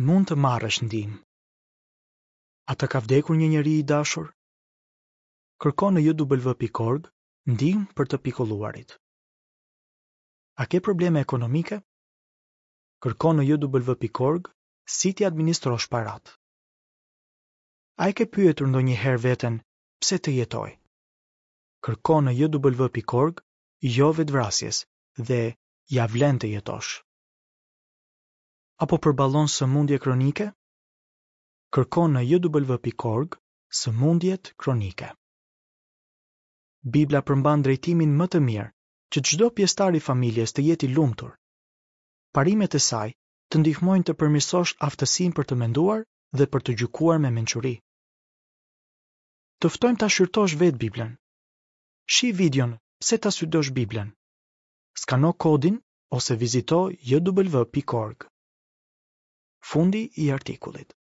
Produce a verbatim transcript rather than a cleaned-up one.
Mund të marrësh ndihmë. A të ka vdekur një njeri i dashur? Kërko në J W pikë org ndihmë për të pikëlluarit. A ke probleme ekonomike? Kërko në J W pikë org si t'i administrosh paratë. A e ke pyetur ndonjëherë veten pse të jetoj? Kërko në J W pikë org jo vetvrasjes dhe ja vlen të jetosh. Apo përballon sëmundje kronike? Kërko në J W pikë org sëmundjet kronike. Bibla përmban drejtimin më të mirë që çdo pjesëtar i familjes të jetë i lumtur. Parimet e saj të ndihmojnë të përmirësosh aftësinë për të menduar dhe për të gjykuar me mençuri. Të ftojmë ta shqyrtosh vetë Biblën. Shih videon "Pse ta studiosh Biblën?" Skano kodin ose vizito J W pikë org. Fundi i artikullit.